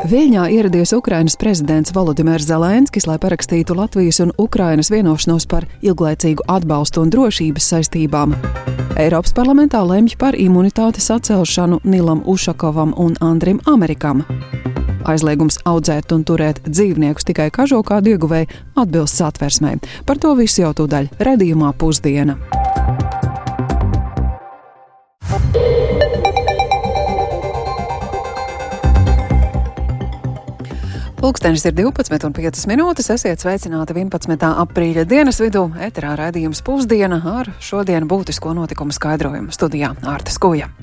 Viļņā ieradies Ukrainas prezidents Volodimirs Zelenskis, lai parakstītu Latvijas un Ukrainas vienošanos par ilglaicīgu atbalstu un drošības saistībām. Eiropas parlamentā lemj par imunitātes atcelšanu Nilam Ušakovam un Andrim Amerikam. Aizliegums audzēt un turēt dzīvniekus tikai kažokādu ieguvēji atbilst Satversmei. Par to visu jau tūdaļ raidījumā Pusdiena. Pulkstenis ir 12:05. Esiet sveicināti 11. aprīļa dienas vidū. Eterā raidījums Pusdiena ar šodien būtisko notikumu skaidrojumu. Studijā Ārta Skuja.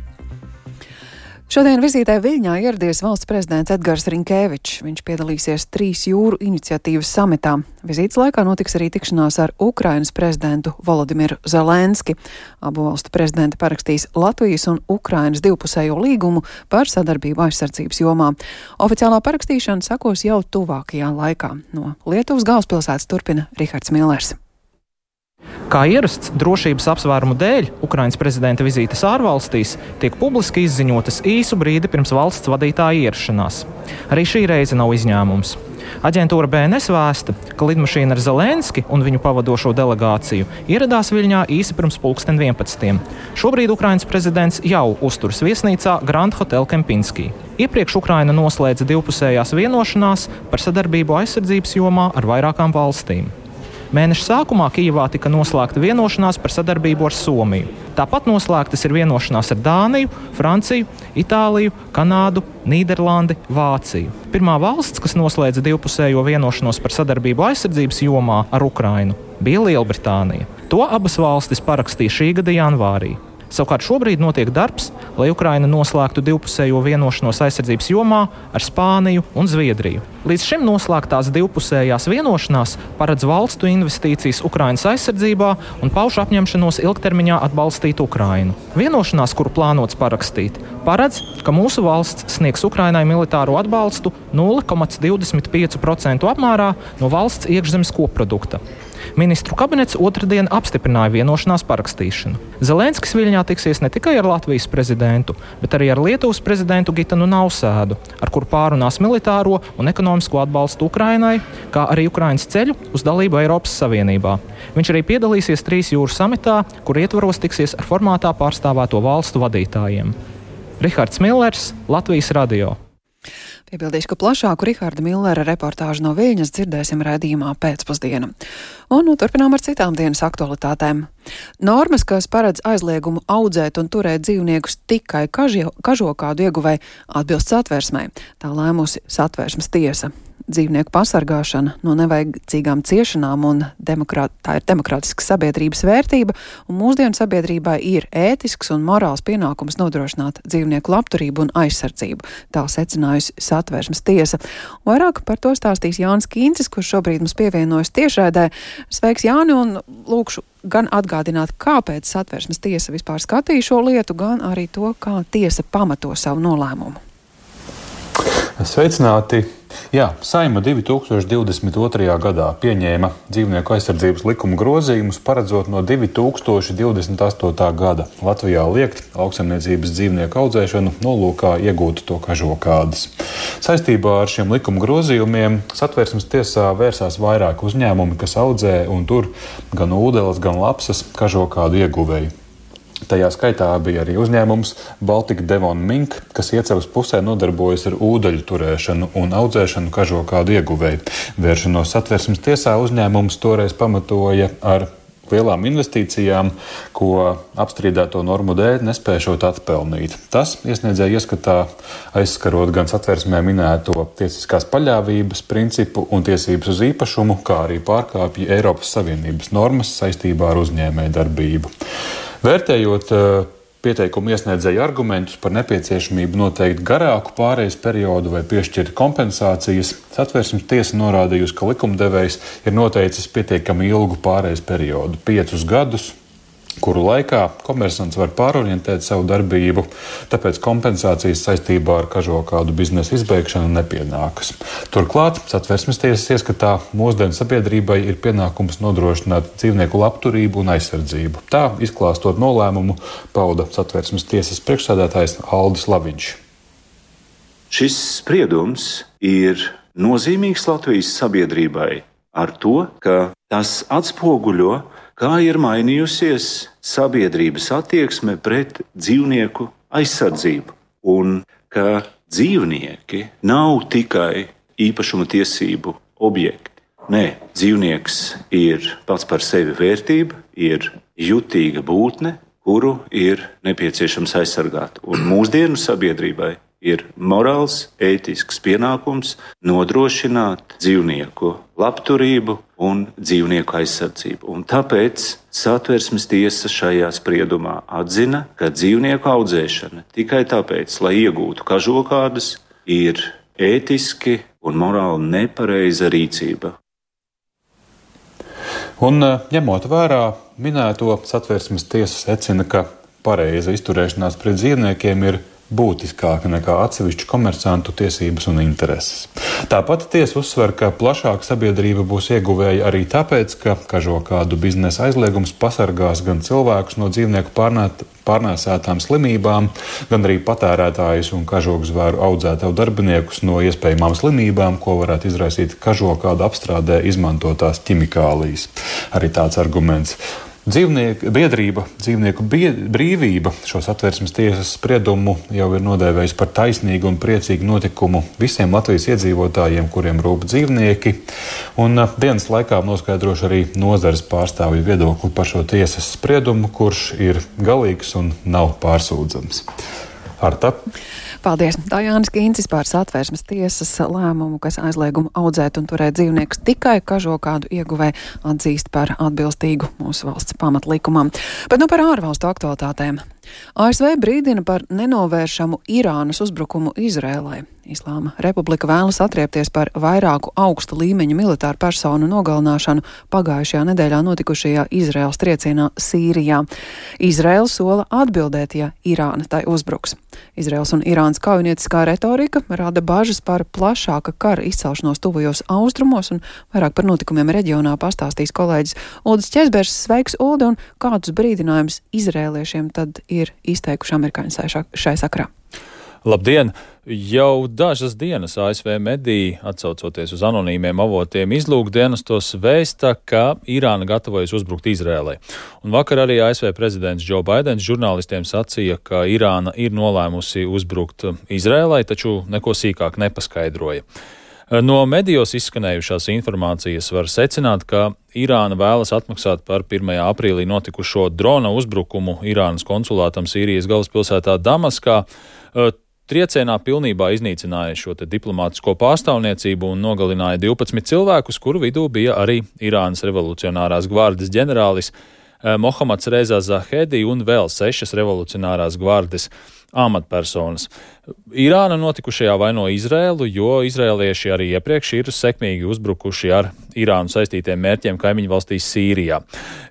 Šodien vizītē Viļņā ieradies valsts prezidents Edgars Rinkēvičs. Viņš piedalīsies 3 jūru iniciatīvas samitā. Vizītes laikā notiks arī tikšanās ar Ukrainas prezidentu Volodimiru Zelenski. Abu valstu prezidenti parakstīs Latvijas un Ukrainas divpusējo līgumu par sadarbību aizsardzības jomā. Oficiālā parakstīšana sekos jau tuvākajā laikā. No Lietuvas galvaspilsētas turpina Rihards Millers. Kā ierasts, drošības apsvērumu dēļ Ukrainas prezidenta vizītes ārvalstīs tiek publiski izziņotas īsu brīdi pirms valsts vadītāja ierašanās. Arī šī reize nav izņēmums. Aģentūra BNS vēsta, ka lidmašīna ar Zelenski un viņu pavadošo delegāciju ieradās Viļņā īsi pirms 11. Šobrīd Ukrainas prezidents jau uzturas viesnīcā Grand Hotel Kempinski. Iepriekš Ukraina noslēdza divpusējās vienošanās par sadarbību aizsardzības jomā ar vairākām valstīm. Mēneša sākumā Kijevā tika noslēgta vienošanās par sadarbību ar Somiju. Tāpat noslēgtas ir vienošanās ar Dāniju, Franciju, Itāliju, Kanādu, Nīderlandi, Vāciju. Pirmā valsts, kas noslēdza divpusējo vienošanos par sadarbību aizsardzības jomā ar Ukrainu, bija Lielbritānija. To abas valstis parakstīja šī gada janvārī. Savukārt šobrīd notiek darbs, lai Ukraina noslēgtu divpusējo vienošanos aizsardzības jomā ar Spāniju un Zviedriju. Līdz šim noslēgtās divpusējās vienošanās paredz valstu investīcijas Ukrainas aizsardzībā un pauž apņemšanos ilgtermiņā atbalstīt Ukrainu. Vienošanās, kuru plānots parakstīt, paredz, ka mūsu valsts sniegs Ukrainai militāro atbalstu 0,25% apmērā no valsts iekšzemes koprodukta. Ministru kabinets otrdien apstiprināja vienošanās parakstīšanu. Zelenskis Viļņā tiksies ne tikai ar Latvijas prezidentu, bet arī ar Lietuvas prezidentu Gitanu Nausēdu, ar kuru pārunās militāro un ekonomisko atbalstu Ukrainai, kā arī Ukrainas ceļu uz dalību Eiropas Savienībā. Viņš arī piedalīsies 3 jūru samitā, kur ietvaros tiksies ar formātā pārstāvēto valstu vadītājiem. Rihards Millers, Latvijas radio. Piebildīšu, ka plašāku Riharda Millera reportāžu no Viļņas dzirdēsim raidījumā Pēcpusdiena. Un turpinām ar citām dienas aktualitātēm. Normas, kas paredz aizliegumu audzēt un turēt dzīvniekus tikai kažokādu ieguvēji, atbilst Satversmei. Tā lēmusi Satversmes tiesa. Dzīvnieku pasargāšana no nevajadzīgām ciešanām un tā ir demokrātiska sabiedrības vērtība, un mūsdienu sabiedrībai ir ētisks un morāls pienākums nodrošināt dzīvnieku labturību un aizsardzību. Tā secinājusi Satversmes tiesa. Vairāk par to stāstīs Jānis Kīncis, kurš šobrīd mums pievienojas tiešraidē. Sveiks, Jāni, un lūkšu gan atgādināt, kāpēc Satversmes tiesa vispār skatīja šo lietu, gan arī to, kā tiesa pamato savu nolēmumu. Sveicināti! Jā, Saeima 2022. gadā pieņēma dzīvnieku aizsardzības likuma grozījumus, paredzot no 2028. gada Latvijā liegt lauksaimniecības dzīvnieku audzēšanu nolūkā iegūt to kažokādas. Saistībā ar šiem likuma grozījumiem Satversmes tiesā vērsās vairāk uzņēmumi, kas audzē un tur gan ūdeles, gan lapsas kažokādu ieguvēju. Tajā skaitā bija arī uzņēmums Baltic Devon Mink, kas Iecavas pusē nodarbojas ar ūdeļu turēšanu un audzēšanu kažokādu ieguvēju. Vēršanos Satversmes tiesā uzņēmums toreiz pamatoja ar lielām investīcijām, ko apstrīdēto normu dēļ nespēšot atpelnīt. Tas iesniedzēja ieskatā aizskarot gan Satversmē minēto tiesiskās paļāvības principu un tiesības uz īpašumu, kā arī pārkāpja Eiropas Savienības normas saistībā ar uzņēmēju darbību. Vērtējot pieteikumu iesniedzēju argumentus par nepieciešamību noteikt garāku pārejas periodu vai piešķirt kompensācijas, Satversmes tiesa norādījusi, ka likumdevējs ir noteicis pietiekami ilgu pārejas periodu – 5 gadus, kuru laikā komersants var pārorientēt savu darbību, tāpēc kompensācijas saistībā ar kažokādu biznesa izbeigšanu nepienākas. Turklāt Satversmes tiesas ieskatā mūsdienu sabiedrībai ir pienākums nodrošināt dzīvnieku labturību un aizsardzību. Tā, izklāstot nolēmumu, pauda Satversmes tiesas priekšsēdētājs Aldis Laviņš. šis spriedums ir nozīmīgs Latvijas sabiedrībai ar to, ka tas atspoguļo, kā ir mainījusies sabiedrības attieksme pret dzīvnieku aizsardzību un ka dzīvnieki nav tikai īpašuma tiesību objekti. Nē, dzīvnieks ir pats par sevi vērtība, ir jutīga būtne, kuru ir nepieciešams aizsargāt. Un mūsdienu sabiedrībai ir morāls, ētisks pienākums nodrošināt dzīvnieku labturību un dzīvnieku aizsardzību. Un tāpēc Satversmes tiesa šajā spriedumā atzina, ka dzīvnieku audzēšana tikai tāpēc, lai iegūtu kažokādus, ir ētiski un morāli nepareiza rīcība. Un ņemot vērā minēto, Satversmes tiesa secina, ka pareiza izturēšanās pret dzīvniekiem ir būtiskāka nekā atsevišķu komersantu tiesības un intereses. Tāpat tiesa uzsver, ka plašāka sabiedrība būs ieguvēja arī tāpēc, ka kažokādu biznesa aizliegums pasargās gan cilvēkus no dzīvnieku pārnēsētām slimībām, gan arī patērētājus un kažokzvēru audzētāju darbiniekus no iespējamām slimībām, ko varētu izraisīt kažokādu apstrādē izmantotās ķimikālijas. Arī tāds arguments. Dzīvnieku brīvība šo Satversmes tiesas spriedumu jau ir nodēvējusi par taisnīgu un priecīgu notikumu visiem Latvijas iedzīvotājiem, kuriem rūp dzīvnieki. Un dienas laikā noskaidrošu arī nozares pārstāvju viedokli par šo tiesas spriedumu, kurš ir galīgs un nav pārsūdzams. Arta. Paldies! Tā Jānis Kīncis par Satversmes tiesas lēmumu, kas aizliegumu audzēt un turēt dzīvniekus tikai kažokādu ieguvē atzīst par atbilstīgu mūsu valsts pamatlikumam. Bet par ārvalstu aktualitātēm. ASV brīdina par nenovēršamu Irānas uzbrukumu Izrēlai. Islāma Republika vēlas atriepties par vairāku augsta līmeņa militāru personu nogalināšanu pagājušajā nedēļā notikušajā Izraēlas triecienā Sīrijā. Izraēla sola atbildēt, ja Irāna tai uzbruks. Izraēlas un Irānas kaujinieciskā retorika rada bažas par plašāka kara izcelšanos tuvajos austrumos, un vairāk par notikumiem reģionā pastāstīs kolēģis Uldis Ķezbergs. Sveiks, Uldi, un kādus brīdinājumus izrēliešiem tad ir izteikuši amerikāņi šai sakarā? Labdien! Jau dažas dienas ASV mediji, atsaucoties uz anonīmiem avotiem, izlūkdienestos vēsta, ka Irāna gatavojas uzbrukt Izrēlai. Un vakar arī ASV prezidents Joe Baidens žurnālistiem sacīja, ka Irāna ir nolēmusi uzbrukt Izrēlai, taču neko sīkāk nepaskaidroja. No medijos izskanējušās informācijas var secināt, ka Irāna vēlas atmaksāt par 1. aprīlī notikušo drona uzbrukumu Irānas konsulātam Sīrijas galvaspilsētā Damaskā. Triecienā pilnībā iznīcināja šo diplomātisko pārstāvniecību un nogalināja 12 cilvēkus, kuru vidū bija arī Irānas revolucionārās gvardes ģenerālis Mohammads Reza Zahedi un vēl 6 revolucionārās gvardes amatpersonas. Irāna notikušajā vaino Izrēlu, jo izrēlieši arī iepriekš ir sekmīgi uzbrukuši ar Irānu saistītiem mērķiem kaimiņu valstīs Sīrijā.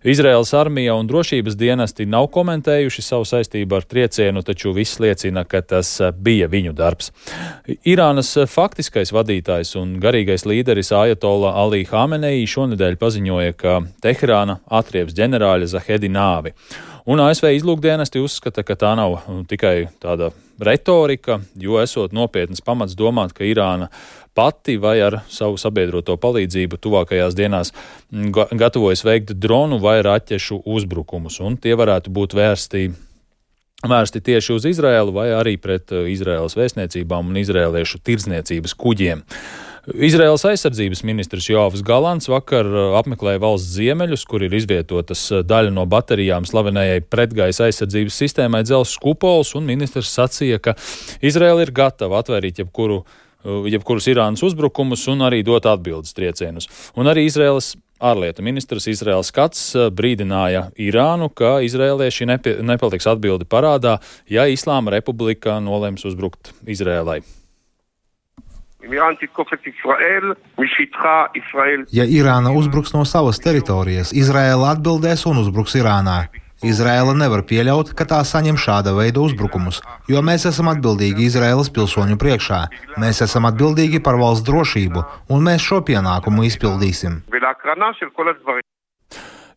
Izraēlas armija un drošības dienesti nav komentējuši savu saistību ar triecienu, taču viss liecina, ka tas bija viņu darbs. Irānas faktiskais vadītājs un garīgais līderis Ajatolla Ali Hamenei šonedēļ paziņoja, ka Teherāna atrieps ģenerāļa Zahedi nāvi. Un ASV izlūkdienesti uzskata, ka tā nav tikai tāda retorika, jo esot nopietnas pamats domāt, ka Irāna pati vai ar savu sabiedroto palīdzību tuvākajās dienās gatavojas veikt dronu vai raķešu uzbrukumus, un tie varētu būt vērsti tieši uz Izraēlu vai arī pret Izraēlas vēstniecībām un izraēliešu tirdzniecības kuģiem. Izraēlas aizsardzības ministrs Joavs Galants vakar apmeklēja valsts ziemeļus, kur ir izvietotas daļa no baterijām slavenējai pretgaisa aizsardzības sistēmai Dzelzs kupols, un ministrs sacīja, ka Izraēla ir gatava atvairīt jebkurus Irānas uzbrukumus un arī dot atbildes triecienus. Un arī Izraēlas ārlietu ministrs Izraēls Kats brīdināja Irānu, ka izraēlieši nepaliks atbildi parādā, ja Islāma Republika nolems uzbrukt Izraēlai. Ja Irāna uzbruks no savas teritorijas, Izraēla atbildēs un uzbruks Irānā. Izraēla nevar pieļaut, ka tā saņem šāda veida uzbrukumus, jo mēs esam atbildīgi Izraēlas pilsoņu priekšā. Mēs esam atbildīgi par valsts drošību, un mēs šo pienākumu izpildīsim.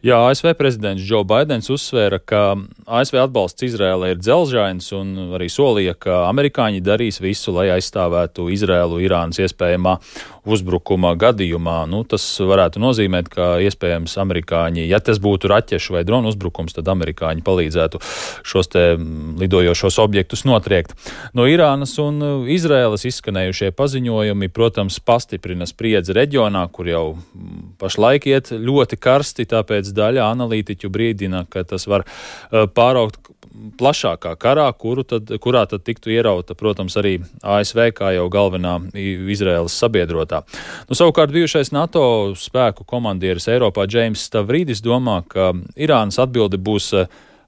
Jā, ASV prezidents Joe Baidens uzsvēra, ka ASV atbalsts Izrēlai ir dzelžains un arī solīja, ka amerikāņi darīs visu, lai aizstāvētu Izrēlu Irānas iespējamā uzbrukuma gadījumā. Tas varētu nozīmēt, ka iespējams amerikāņi, ja tas būtu raķešu vai dronu uzbrukums, tad amerikāņi palīdzētu šos te lidojošos objektus notriekt. No Irānas un Izrēlas izskanējušie paziņojumi, protams, pastiprina spriedzi reģionā, kur jau pašlaik iet ļoti karsti, tāpēc daļa analītiķu brīdina, ka tas var pāraukt plašākā karā, kurā tad tiktu ierauta, protams, arī ASV kā jau galvenā Izraēlas sabiedrotā. Savukārt bijušais NATO spēku komandieris Eiropā Džeims Stavridis domā, ka Irānas atbilde būs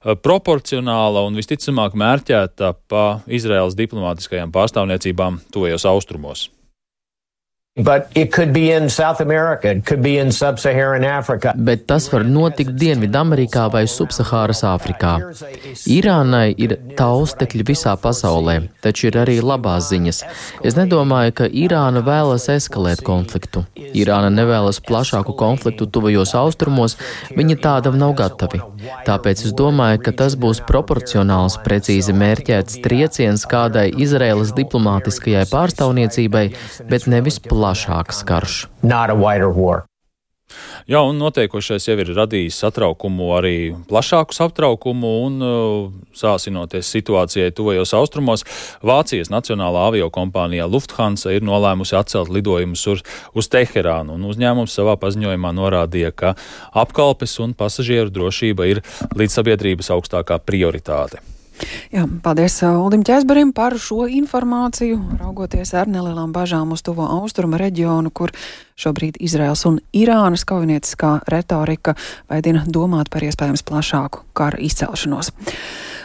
proporcionāla un visticamāk mērķēta pa Izraēlas diplomātiskajām pārstāvniecībām tuvajos austrumos. But it could be in South America, it could be in Sub-Saharan Africa. Bet tas var notikt Dienvidamerikā vai Subsahāras Āfrikā. Irānai ir taustekļi visā pasaulē, taču ir arī labās ziņas. Es nedomāju, ka Irāna vēlas eskalēt konfliktu. Irāna nevēlas plašāku konfliktu tuvajos austrumos, viņi tādam nav gatavi. Tāpēc es domāju, ka tas būs proporcionāls, precīzi mērķēts trieciens kādai Izraēlas diplomātiskajai pārstāvniecībai, bet nevis plašāks karš. Jā, un notiekošais jau ir radījis satraukumu, arī plašāku satraukumu un sāsinoties situācijai tuvajos austrumos. Vācijas nacionālā aviokompānija Lufthansa ir nolēmusi atcelt lidojumus uz Teherānu, un uzņēmums savā paziņojumā norādīja, ka apkalpes un pasažieru drošība ir līdzsabiedrības augstākā prioritāte. Jā, paldies Uldim Ķēzberim par šo informāciju, raugoties ar nelielām bažām uz tuvo austrumu reģionu, kur šobrīd Izraels un Irānas kaujinieciskā retorika veidina domāt par iespējams plašāku kara izcelšanos.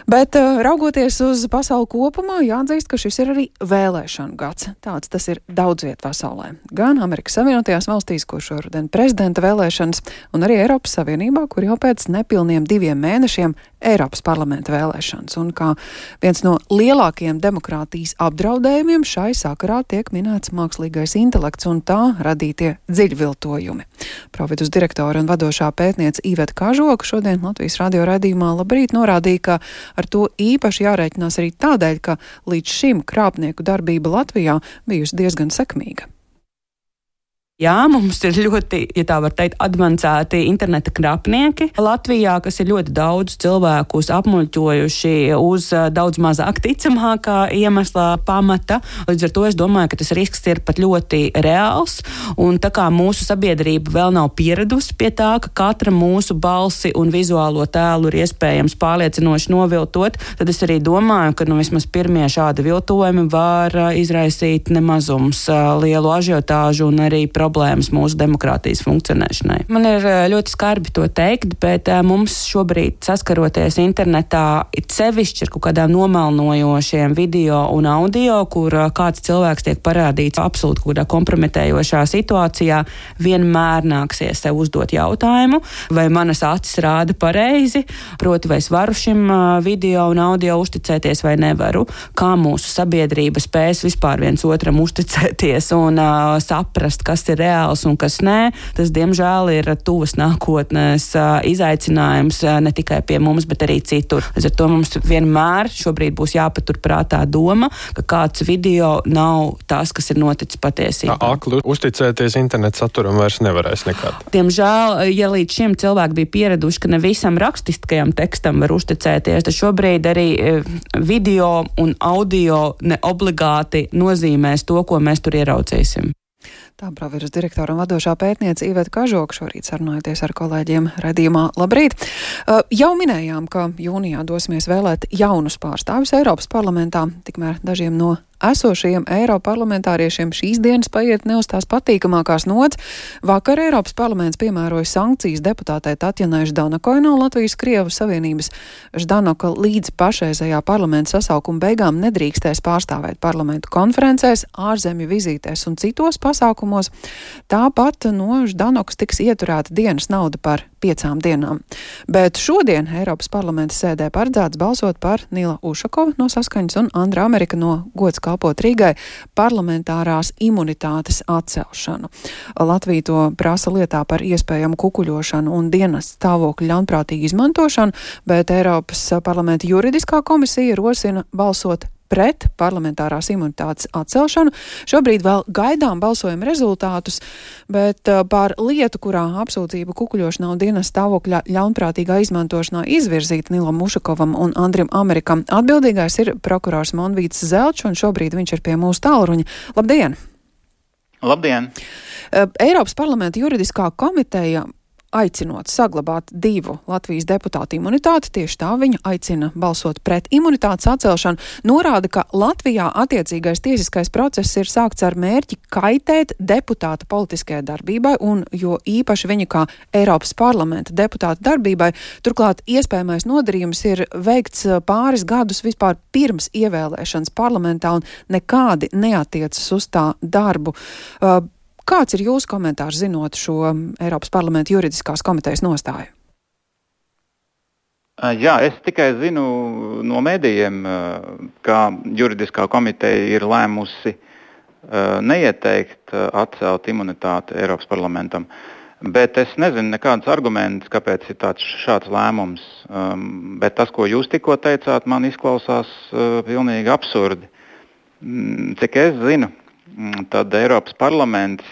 Bet raugoties uz pasauli kopumā, jāatzīst, ka šis ir arī vēlēšanu gads. Tāds tas ir daudz viet pasaulē. Gan Amerikas Savienotajās valstīs, kur šoruden prezidenta vēlēšanas, un arī Eiropas Savienībā, kur jau pēc nepilniem 2 mēnešiem Eiropas parlamenta vēlēšanas. Un kā viens no lielākajiem demokrātijas apdraudējumiem šai sakarā tiek minēts mākslīgais intelekts un tā radītie dziļviltojumi. Providus direktore un vadošā pētniece Iveta Kažoka šodien Latvijas radio raidījumā Labrīt norādīja, ka ar to īpaši jārēķinās arī tādēļ, ka līdz šim krāpnieku darbība Latvijā bijusi diezgan sekmīga. Jā, mums ir ļoti, ja tā var teikt, advancēti interneta krāpnieki Latvijā, kas ir ļoti daudz cilvēkus apmuļķojuši uz daudz mazāk ticamākā iemesla pamata. Līdz ar to es domāju, ka tas risks ir pat ļoti reāls, un tā kā mūsu sabiedrība vēl nav pieradusi pie tā, ka katra mūsu balsi un vizuālo tēlu ir iespējams pārliecinoši noviltot, tad es arī domāju, ka vismaz pirmie šādi viltojumi var izraisīt nemazums lielu ažiotāžu un arī problēmas mūsu demokrātijas funkcionēšanai. Man ir ļoti skarbi to teikt, bet mums šobrīd saskaroties internetā it sevišķi ar kaut kādām nomelnojošiem video un audio, kur kāds cilvēks tiek parādīts absolūti kādā kompromitējošā situācijā, vienmēr nāksies sev uzdot jautājumu, vai manas acis rāda pareizi, proti vai es varu šim video un audio uzticēties vai nevaru, kā mūsu sabiedrība spēs vispār viens otram uzticēties un saprast, kas ir reāls un kas nē. Tas, diemžēl, ir tuvas nākotnes izaicinājums ne tikai pie mums, bet arī citur. Līdz ar to mums vienmēr šobrīd būs jāpaturprātā doma, ka kāds video nav tas, kas ir noticis patiesībā. Akli uzticēties internetu saturam vairs nevarēs nekad. Diemžēl, ja līdz šim cilvēki bija pieraduši, ka ne visam rakstiskajam tekstam var uzticēties, tad šobrīd arī video un audio neobligāti nozīmēs to, ko mēs tur ieraucīsim. Tā Providus direktora un vadošā pētniece Iveta Kažoka šorīt sarunājoties ar kolēģiem raidījumā Labrīt. Jau minējām, ka jūnijā dosimies vēlēt jaunus pārstāvjus Eiropas parlamentā, tikmēr dažiem no esošajiem eiroparlamentāriešiem šīs dienas paiet ne uz tās patīkamākās nots. Vakar Eiropas parlaments piemēroja sankcijas deputātei Tatjanai Ždanokai no Latvijas Krievu Savienības. Ždanoka līdz pašreizējā parlamenta sasaukuma beigām nedrīkstēs pārstāvēt parlamentu konferencēs, ārzemju vizītēs un citos pasākumos. Tāpat no Ždanokas tiks ieturēta dienas nauda par 5 dienām. Bet šodien Eiropas parlamenta sēdē paredzēts balsot par Nila Ušakova no Saskaņas un Andra Amerika no Gods kalpot Rīgai parlamentārās imunitātes atcelšanu. Latvija to prasa lietā par iespējamu kukuļošanu un dienas stāvokļu ļaunprātīgu izmantošanu, bet Eiropas parlamenta juridiskā komisija rosina balsot pret parlamentārās imunitātes atcelšanu. Šobrīd vēl gaidām balsojuma rezultātus, bet par lietu, kurā apsūdzība kukuļošanā un dienas stāvokļa ļaunprātīgā izmantošanā izvirzīta Nilam Ušakovam un Andrim Amerikam, atbildīgais ir prokurors Monvīts Zelčs, un šobrīd viņš ir pie mūsu tālruņa. Labdien! Labdien! Eiropas parlamenta juridiskā komiteja aicinot saglabāt 2 Latvijas deputātu imunitāti, tieši tā viņa aicina balsot pret imunitātes atcelšanu, norāda, ka Latvijā attiecīgais tiesiskais process ir sākts ar mērķi kaitēt deputāta politiskajai darbībai un jo īpaši viņa kā Eiropas parlamenta deputāta darbībai. Turklāt iespējamais nodarījums ir veikts pāris gadus vispār pirms ievēlēšanas parlamentā un nekādi neatiecas uz tā darbu. Kāds ir jūsu komentārs zinot šo Eiropas parlamenta juridiskās komitejas nostāju? Jā, es tikai zinu no medijiem, ka juridiskā komiteja ir lēmusi neieteikt atcelt imunitāti Eiropas parlamentam, bet es nezinu nekādus argumentus, kāpēc ir šāds lēmums. Bet tas, ko jūs tikko teicāt, man izklausās pilnīgi absurdi. Cik es zinu, tad Eiropas parlaments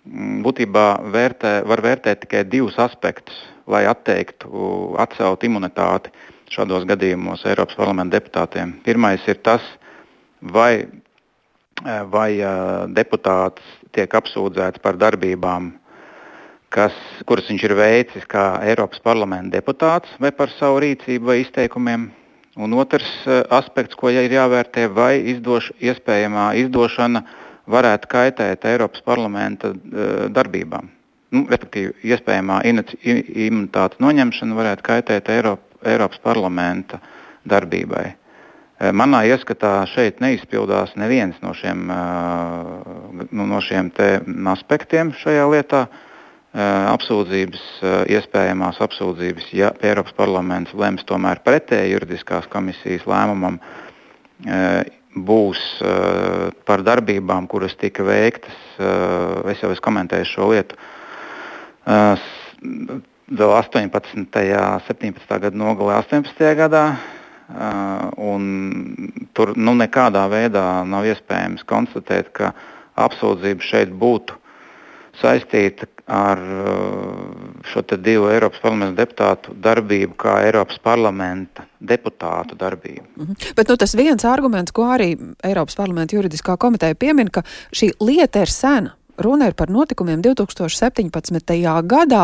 būtībā var vērtēt tikai 2 aspektus, lai atcelt imunitāti šādos gadījumos Eiropas parlamenta deputātiem. Pirmais ir tas, vai deputāts tiek apsūdzēts par darbībām, kuras viņš ir veicis kā Eiropas parlamenta deputāts, vai par savu rīcību vai izteikumiem. Un otrs aspekts, ko ir jāvērtē, vai iespējamā izdošana varētu kaitēt Eiropas parlamenta darbībām. Respektīvi, iespējamā imunitātes noņemšana varētu kaitēt Eiropas parlamenta darbībai. Manā ieskatā šeit neizpildās neviens no šiem te aspektiem šajā lietā. Iespējamās apsūdzības, ja Eiropas parlaments lems tomēr pretēji juridiskās komisijas lēmumam, būs par darbībām, kuras tika veiktas, es jau komentēju šo lietu, vēl 18. 17. gada nogalē 18. gadā, un tur nekādā veidā nav iespējams konstatēt, ka apsūdzība šeit būtu saistīta ar šo te 2 Eiropas parlamenta deputātu darbību kā Eiropas parlamenta deputātu darbību. Bet tas viens arguments, ko arī Eiropas parlamenta juridiskā komiteja piemin, ka šī lieta ir sena. Runa ir par notikumiem 2017. gadā,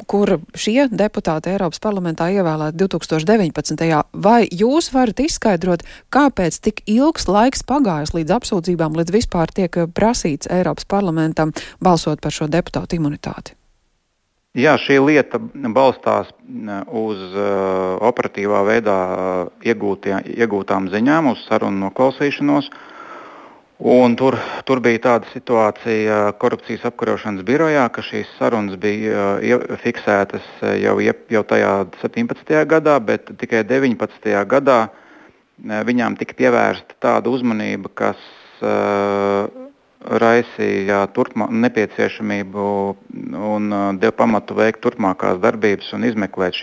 kur šie deputāti Eiropas parlamentā ievēlēti 2019. Vai jūs varat izskaidrot, kāpēc tik ilgs laiks pagājis līdz apsūdzībām, līdz vispār tiek prasīts Eiropas parlamentam balsot par šo deputātu imunitāti? Jā, šī lieta balstās uz operatīvā veidā iegūtām ziņām, uz sarunu noklausīšanos. Un tur bija tāda situācija korupcijas apkarošanas birojā, ka šīs sarunas bija fiksētas jau tajā 17. gadā, bet tikai 19. gadā viņām tika pievērsta tāda uzmanība, kas raisīja nepieciešamību un deva pamatu veikt turpmākās darbības un izmeklēt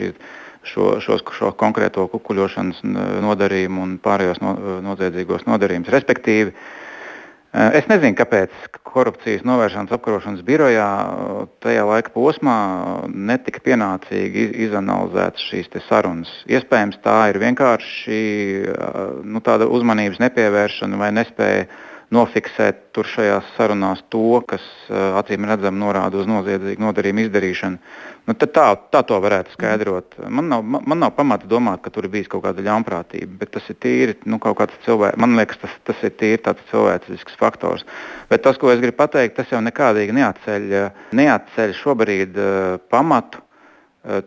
šo konkrēto kukuļošanas nodarījumu un pārējos noziedzīgos nodarījumus. Respektīvi, es nezinu, kāpēc korupcijas novēršanas apkarošanas birojā tajā laika posmā netika pienācīgi izanalizētas šīs te sarunas. Iespējams, tā ir vienkārši tāda uzmanības nepievēršana vai nespēja nofiksēt tur šajās sarunās to, kas acīm redzam norāda uz noziedzīgu nodarījumu izdarīšanu. Tā to varētu skaidrot. Man nav pamata domāt, ka tur ir bijis kaut kāda ļaunprātība, bet tas ir tīri kaut kāds man liekas, tas ir tīri tāds cilvēcisks faktors. Bet tas, ko es gribu pateikt, tas jau nekādīgi neatceļ šobrīd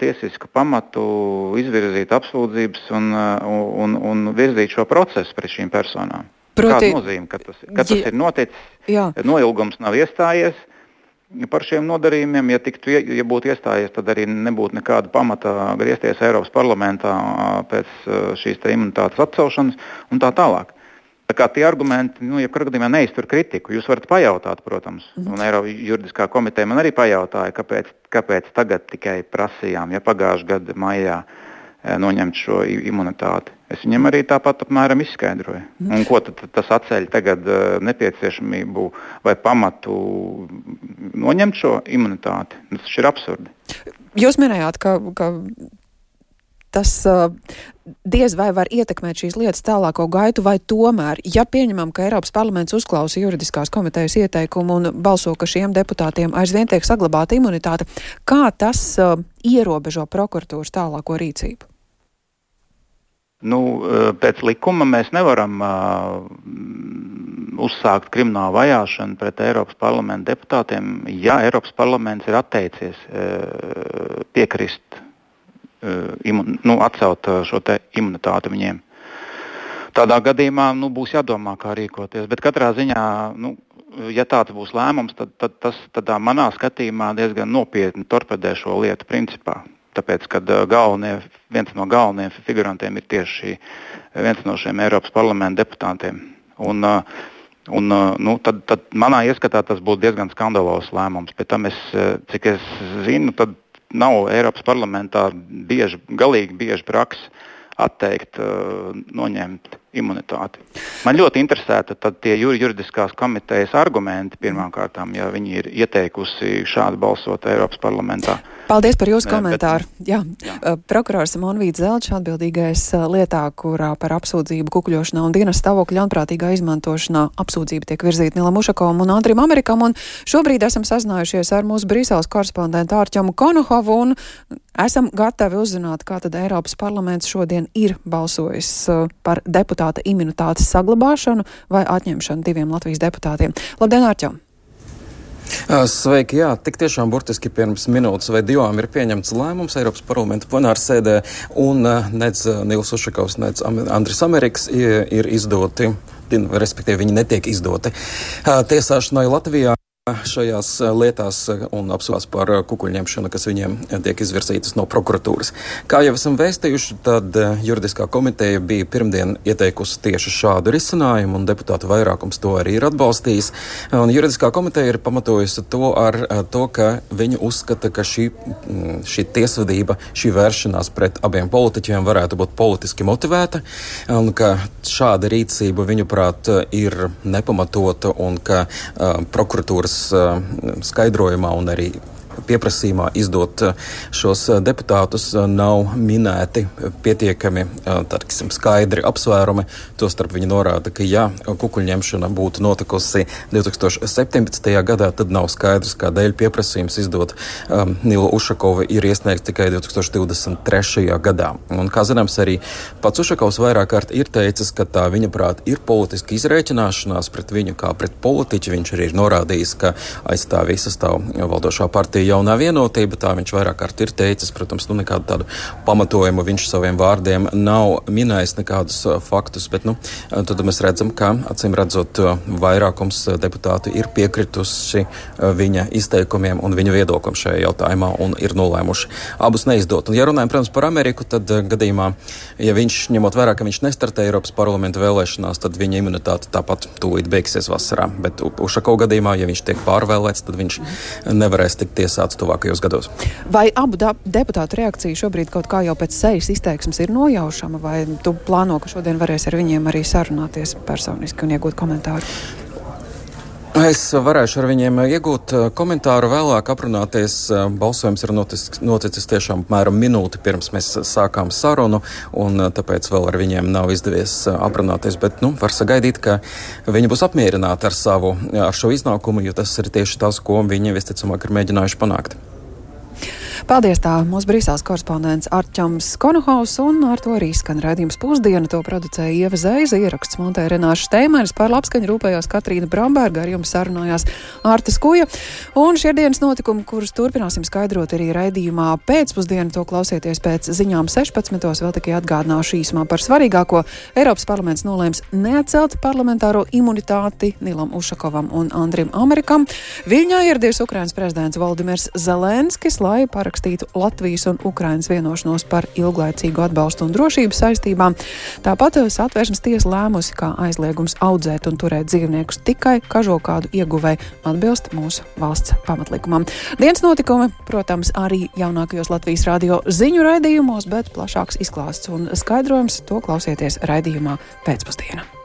tiesisku pamatu izvirzīt apsūdzības un virzīt šo procesu pret šīm personām. Kāda nozīme, ka tas ir noticis, noilgums nav iestājies par šiem nodarījumiem. Ja būtu iestājies, tad arī nebūtu nekāda pamata griezties Eiropas parlamentā pēc šīs imunitātes atcelšanas un tā tālāk. Tā kā tie argumenti, jebkurā gadījumā neiztur kritiku. Jūs varat pajautāt, protams. Un Eiropas juridiskā komiteja man arī pajautāja, kāpēc tagad tikai prasījām, pagājušā gada maijā noņemt šo imunitāti. Es viņam arī tāpat apmēram izskaidroju. Un ko tad tas atceļ tagad nepieciešamību vai pamatu noņemt šo imunitāti? Tas ir absurdi. Jūs minējāt, ka tas diez vai var ietekmēt šīs lietas tālāko gaitu, vai tomēr, ja pieņemam, ka Eiropas parlaments uzklausa juridiskās komitejas ieteikumu un balso, ka šiem deputātiem aizvien tiek saglabāta imunitāte, kā tas ierobežo prokuratūras tālāko rīcību? Pēc likuma mēs nevaram uzsākt kriminālu vajāšanu pret Eiropas parlamenta deputātiem, ja Eiropas parlaments ir atteicies piekrist atcelt šo te imunitāti viņiem. Tādā gadījumā būs jādomā, kā rīkoties. Bet katrā ziņā, ja tāds būs lēmums, tad manā skatījumā diezgan nopietni torpedē šo lietu principā. Tāpēc, kad viens no galvenajiem figurantiem ir tieši viens no šiem Eiropas parlamenta deputātiem. Tad manā ieskatā tas būtu diezgan skandalos lēmums. Pēc tam cik es zinu, tad nav Eiropas parlamentā galīgi bieži praksa atteikt, noņemt imunitāti. Man ļoti interesēta tad tie juridiskās komitejas argumenti pirmām kārtām, ja viņi ir ieteikusi šādi balsot Eiropas parlamentā. Paldies par jūsu komentāru. Jā. Prokurors Monvīds Zelčs, atbildīgais lietā, kurā par apsūdzību kukuļošanā un dienas stāvokļa ļaunprātīgā izmantošanā apsūdzība tiek virzīta Nilam Ušakovam un Andrim Amerikam. Un šobrīd esam sazinājušies ar mūsu Brīseles korespondentu Artjomu Konohovu un esam gatavi uzzināt, kā tad Eiropas parlaments šodien ir balsojis par deputāta imunitātes saglabāšanu vai atņemšanu diviem Latvijas deputātiem. Labdien, Artjom! Sveiki, jā, tik tiešām burtiski pirms minūtes vai divām ir pieņemts lēmums Eiropas parlamenta plenārsēdē un nec Nils Ušakovs, nec Andris Ameriks ir izdoti, respektīvi viņi netiek izdoti tiesāšanai Latvijā. Šajās lietās un apsūdzās par kukuļņemšanu, kas viņiem tiek izvirzītas no prokuratūras. Kā jau esam vēstījuši, tad juridiskā komiteja bija pirmdien ieteikusi tieši šādu risinājumu, un deputātu vairākums to arī ir atbalstījis. Un juridiskā komiteja ir pamatojusi to ar to, ka viņi uzskata, ka šī tiesvedība, šī vēršanās pret abiem politiķiem varētu būt politiski motivēta, un ka šāda rīcība, viņuprāt, ir nepamatota, un ka prokuratūras skaidrojumā un arī pieprasījumā izdot šos deputātus nav minēti pietiekami, skaidri apsvērumi. Tostarp viņi norāda, ka ja kukuļņemšana būtu notikusi 2017. gadā, tad nav skaidrs, kādēļ pieprasījums izdot Nilu Ušakovu ir iesniegts tikai 2023. gadā. Un, kā zināms, arī pats Ušakovs vairāk kārt ir teicis, ka tā viņa prāt ir politiska izrēķināšanās pret viņu kā pret politiķi. Viņš arī ir norādījis, ka aiz tā visa stāv valdošā partija Jaunā vienotība, tā viņš vairāk kārt ir teicis, protams, nekādu tādu pamatojumu viņš saviem vārdiem nav minējis nekādus faktus, bet, tad mēs redzam, ka, acīm redzot, vairākums deputāti ir piekrituši viņa izteikumiem un viņa viedoklim šajā jautājumā un ir nolēmuši abus neizdot. Un, ja runājam, protams, par Ameriku, tad gadījumā, ja viņš, ņemot vērā, ka viņš nestartē Eiropas parlamenta vēlēšanās, tad viņa imunitāte tāpat tūlīt beigsies vasarā. Bet Ušakova gadījumā, ja viņš tiek pārvēlēts, tad viņš nevarēs tikt tiesāts tuvākajos gados. Vai abu deputātu reakcija šobrīd kaut kā jau pēc sejas izteiksmes ir nojaušama, vai tu plāno, ka šodien varēs ar viņiem arī sarunāties personiski un iegūt komentāru? Es varēšu ar viņiem iegūt komentāru vēlāk, aprunāties. Balsojums ir noticis tiešām apmēram minūti pirms mēs sākām sarunu, un tāpēc vēl ar viņiem nav izdevies aprunāties, bet var sagaidīt, ka viņi būs apmierināti ar šo iznākumu, jo tas ir tieši tas, ko viņi visticamāk ir mēģinājuši panākt. Paldies, tā mūsu Brīseles korespondents Artjoms Konohovs, un ar to arī skan raidījums Pusdiena. To producēja Ieva Zeiza, ieraksts montēja Renāša Steimanis, par labskaņu rūpējās Katrīna Bramberga, ar jums sarunājās Ārta Skuja. Un šie dienas notikumi, kurus turpināsim skaidrot arī raidījumā Pēcpusdiena, to klausieties pēc ziņām 16. Vēl tikai atgādināšu īsumā par svarīgāko. Eiropas parlaments nolēms neatcelt parlamentāro imunitāti Nilam Ušakovam un Andrim Amerikam. Viļņā ieradies Ukrainas prezidents Voldimirs Zelenskis, lai parakstītu parakstītu Latvijas un Ukrainas vienošanos par ilglaicīgu atbalstu un drošības saistībām. Tāpat Satversmes tiesa lēmusi, ka aizliegums audzēt un turēt dzīvniekus tikai kažokādu ieguvēju atbilst mūsu valsts pamatlikumam. Dienas notikumi, protams, arī jaunākajos Latvijas radio ziņu raidījumos, bet plašāks izklāsts un skaidrojums to klausieties raidījumā Pēcpusdiena.